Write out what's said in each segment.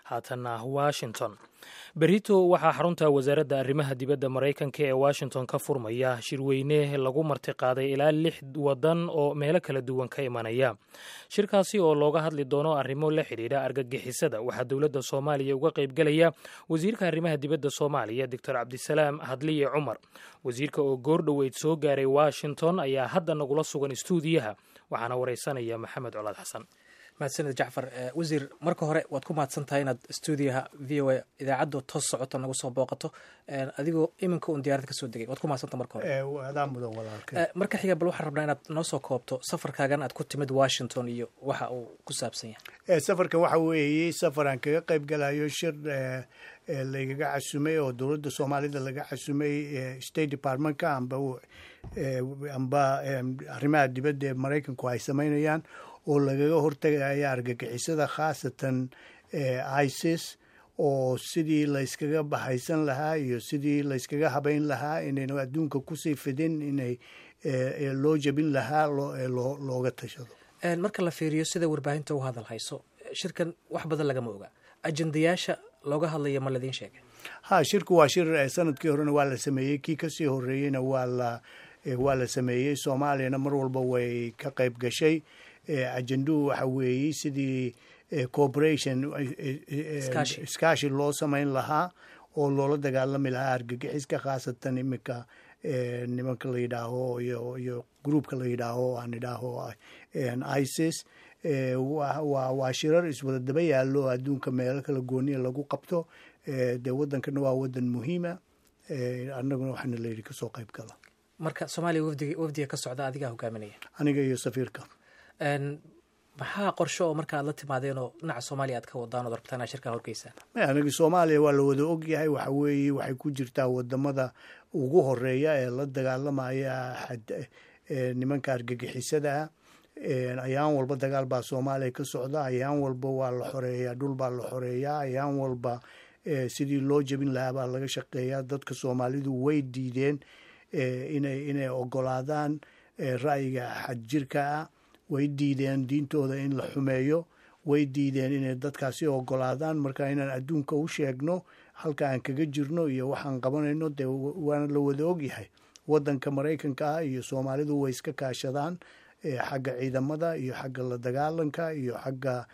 Haatanna Washington. Berito waxaa xarunta wasaaradda arrimaha dibadda Maraykanka ee Washington ka furmaya shirweyne lagu martiqaaday ilaa lix wadan oo meelo kala duwan ka imanaya. Shirkaasi oo looga hadli doono arrimo la xidhiidha argagixisada, waxaa dowladda Soomaaliya uga qaybgelaya wasiirka arrimaha dibadda Soomaaliya, Doctor Cabdisalaam Hadliye Cumar. Wasiirka oo goordhoweyd soo gaaray Washington ayaa hadda nagula sugan istuudiyaha, waxaana wareysanaya Maxamed Colaad Xasan. Mahadsaned, Jacfar. Wasiir, marka hore waad ku mahadsan tahay inaad stuudiyaha VOA idaacadda toos socota nagu soo booqato, adigoo iminka un diyaarad kasoo degay. Waad ku mahadsanta marka hore. Adaa mudan, walaalkay. Marka xiga, bal waxaan rabnaa inaad noo soo koobto safarkaagan aad ku timid Washington iyo waxa uu ku saabsan yahay. Safarkan waxa weeye safar aan kaga qayb galayo shir laygaga casumay oo dowladda Soomaalida laga casumay, State Departmentka amba arrimaha dibadda ee Maraykanku ay samaynayaan, oo lagaga hortagaya argagixisada, khaasatan ISIS, oo sidii layskaga bahaysan lahaa iyo sidii layskaga habayn lahaa inaynu adduunka kusii fidin, inay loo jebin lahaa looga tashado. Marka la fiiriyo sida warbaahinta u hadal hayso, shirkan wax badan lagama oga. Ajendayaasha looga hadlaya ma ladiin sheegay? Ha, shirku waa shir sanadkii horena waa la sameeyey, kii kasii horeeyeyna waa la sameeyey. Soomaaliyana mar walba way ka qayb gashay. Ajenduhu waxa weeyey sidii cooperation, iskaashi loo samayn lahaa oo loola dagaalami lahaa argagixiska, khaasatan iminka nimanka la yidhaaho iyo groupka la yidhaaho aan idhaaho ISIS. Waa shirar iswada daba yaallo, adduunka meelo kala gooniya lagu qabto. Dee waddankana waa waddan muhiima, annaguna waxaana layidhi kasoo qayb gala. Marka Soomaaliya wafdiga ka socda adigaa hogaaminaya? Aniga iyo safiirka. Maxaa qorsho oo marka aad la timaadeen oo dhinaca Soomaaliya aad ka wadaan ood rabtaan inaad shirkaa horgeysaan? Aniga Soomaaliya waa la wada ogyahay. Waxa weeye waxay ku jirtaa wadamada ugu horeeya ee la dagaalamaya nimanka argagixisadaa. Ayaan walba dagaal baa Soomaaliya ka socda, ayaan walba waa la xoreeyaa, dhul baa la xoreeyaa, ayaan walba sidii loo jebin lahaa baa laga shaqeeyaa. Dadka Soomaalidu way diideen inay ogolaadaan ra'yiga xadjirka ah, way diideen diintooda in la xumeeyo, way diideen inay dadkaasi ogolaadaan. Marka inaan adduunka u sheegno halka aan kaga jirno iyo waxaan qabanayno, dee waana la wada ogyahay. Waddanka Maraykanka ah iyo Soomaalidu way iska kaashadaan xagga ciidamada iyo xagga la dagaalanka iyo xagga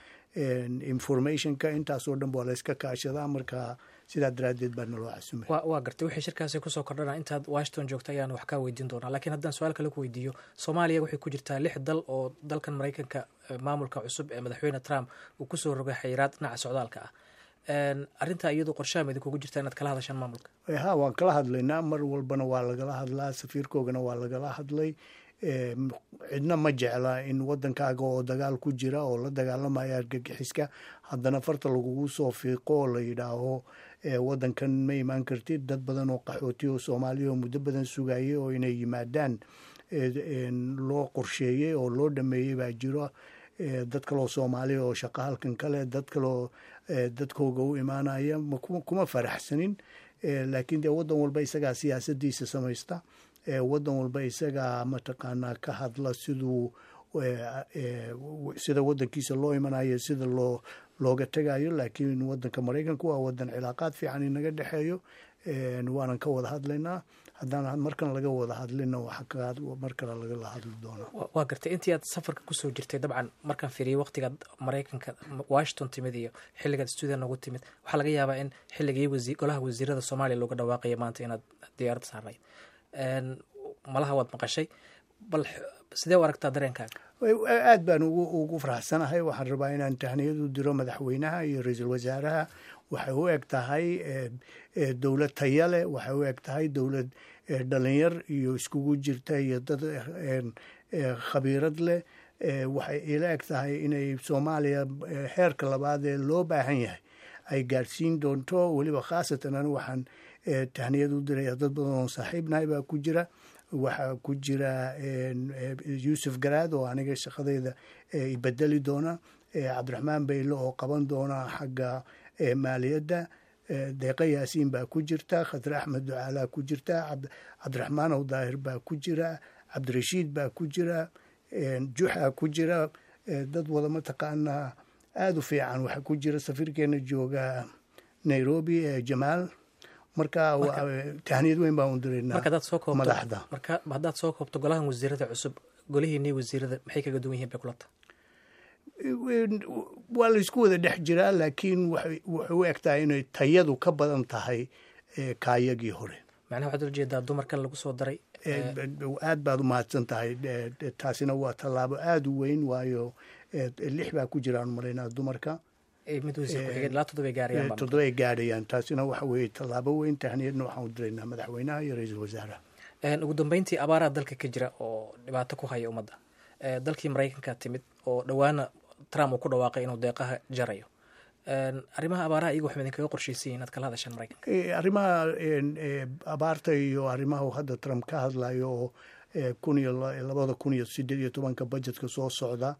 informationka, intaasoo dhan waa la iska kaashadaa. Marka sidaa daraaddeed baa naloo casumay. Waa gartay. Wixii shirkaasi kusoo kordhana intaad Washington joogta ayaan wax kaa weydiin doonaa, laakiin haddaan su-aal kale ku weydiiyo, Soomaaliya waxay ku jirtaa lix dal oo dalkan Maraykanka maamulka cusub ee Madaxweyne Trump uu kusoo rogay xayiraad dhinaca socdaalka ah. Arrintaa iyadu qorshaha ma idinkugu jirtaa inaad kala hadashaan maamulka? Ha, waan kala hadlaynaa. Mar walbana waa lagala hadlaa, safiirkoogana waa lagala hadlay. Cidna ma jecla in waddankaaga oo dagaal ku jira oo la dagaalamaya argagixiska haddana farta lagugu soo fiiqo oo la yidhaaho waddankan ma imaan kartid. Dad badan oo qaxooti oo Soomaaliya oo muddo badan sugayay oo inay yimaadaan loo qorsheeyey oo loo dhameeyey baa jiro. Dad kaloo Soomaaliya oo shaqo halkan kale, dad kaloo dadkooga u imaanaya, kuma faraxsanin. Laakiin dee waddan walba isagaa siyaasadiisa samaysta, waddan walba isagaa mataqaanaa ka hadla siduu sida waddankiisa loo imanayo, sida looga tegayo. Laakiin waddanka Maraykanku waa waddan cilaaqaad fiican inaga dhexeeyo, waanan ka wada hadlaynaa. Haddaan markan laga wada hadlina, mar kale lagala hadli doonaa. Waa gartay. Intii aad safarka kusoo jirtay, dabcan markaan fiiriyay waqtigaad Maraykanka Washington timid iyo xilligaad stuudiya noogu timid, waxaa laga yaabaa in xilligii golaha wasiirada Soomaaliya looga dhawaaqaya maanta inaad diyaarad saarnayd. Malaha waad maqashay. Bal sidee u aragtaa dareenkaaga? Aad baan ugu faraxsanahay. Waxaan rabaa inaan tahniyad u diro madaxweynaha iyo ra-iisul wasaaraha. Waxay u eg tahay dowlad taya leh, waxay u eg tahay dowlad dhalinyar iyo iskugu jirta iyo dad khabiirad leh. Waxay ila eg tahay inay Soomaaliya heerka labaad ee loo baahan yahay ay gaadhsiin doonto. Weliba khaasatan anigu waxaan tahniyad u diraya dad badan oo saaxiibnahay baa ku jira. Waxaa ku jira Yuusuf Garaad oo aniga shaqadeyda ibedeli doona, Cabdiraxmaan Bayle oo qaban doona xagga maaliyadda, Deeqa Yaasiin baa ku jirta, Khadre Axmed Ducaalaa ku jirta, Cabdiraxmaan Ow Daahir baa ku jira, Cabdirashiid baa ku jira, Juxa ku jira, dad wada mataqaanaa. Aada u fiican. Waxaa ku jira safiirkeena jooga Nairobi, Jamaal. Marka tahniyad weyn baan u diraynaa madaxda. Marka haddaad soo koobto, golahan wasiirada cusub golihiinii wasiirada maxay kaga duwan yihiin bay kulata? Waa laysku wada dhex jiraa, laakiin waxay u eg tahay inay tayadu ka badan tahay kaayagii hore. Macnaha waxaad ula jeedaa dumarkan lagu soo daray? Aad baad u mahadsan tahay. Taasina waa tallaabo aada u weyn, waayo lix baa ku jiraan malaynaa dumarka. Mid wasiir ku-xigeen, ilaa 7 gaarayaan. 7 gaadhayaan. Taasina waxa weeye tallaabo weyn. Tahniyadna waxaan u diraynaa madaxweynaha iyo ra-iisul wasaaraha. Ugu dambeyntii, abaaraha dalka ka jira oo dhibaato ku haya ummadda, dalkii Maraykanka timid oo dhowaana Trump uu ku dhawaaqay inuu deeqaha jarayo, arrimaha abaaraha iyagu waxma idinkaga qorshaysan inaad kala hadashaan Maraykanka? Arrimaha abaarta iyo arrimaha hadda Trump ka hadlayo oo 2018-ka budgetka soo socda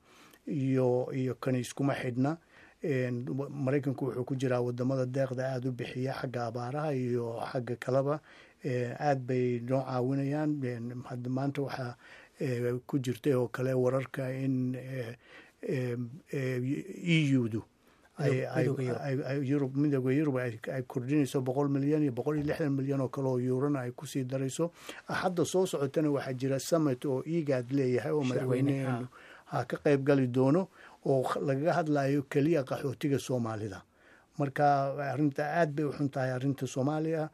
iyo kani iskuma xidhna. Maraykanku wuxuu ku jiraa wadamada deeqda aada u bixiya, xagga abaaraha iyo xagga kaleba aad bay noo caawinayaan. Hadda maanta waxaa ku jirtay oo kale wararka in EU-du, Yurub, Midooda Yurub ay kordhinayso 100 milyan iyo 160 milyan oo kale oo yuurana ay kusii darayso. Axadda soo socotana waxaa jira summit oo IGAD leeyahay oo madaxweyneheenu ha ka qayb gali doono, oo lagaga hadlayo keliya qaxootiga Soomaalida. Marka arrinta aad bay u xun tahay, arrinta Soomaaliya,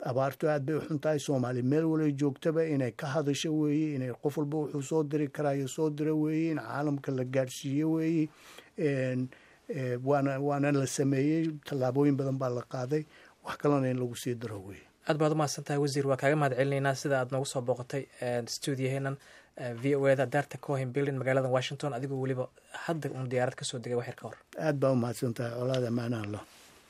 abaartu aad bay u xun tahay. Soomaaliya meel walay joogtaba inay ka hadasho weeye, inay qof walba wuxuu soo diri karayo soo diro weeye, in caalamka la gaadhsiiyo weeye. Waana la sameeyey, tallaabooyin badan baa la qaaday, wax kalena in lagu sii daro weeye. Aad baad umahadsan tahay, wasiir. Waa kaaga mahad celinaynaa sida aad noogu soo booqatay stuudiyaheenan VOA-da, daarta Cohen Building, magaalada Washington, adigoo weliba hadda uun diyaarad kasoo degay waxyar ka hor. Aad baa umahadsan tahay, Colaada. Maana Allah.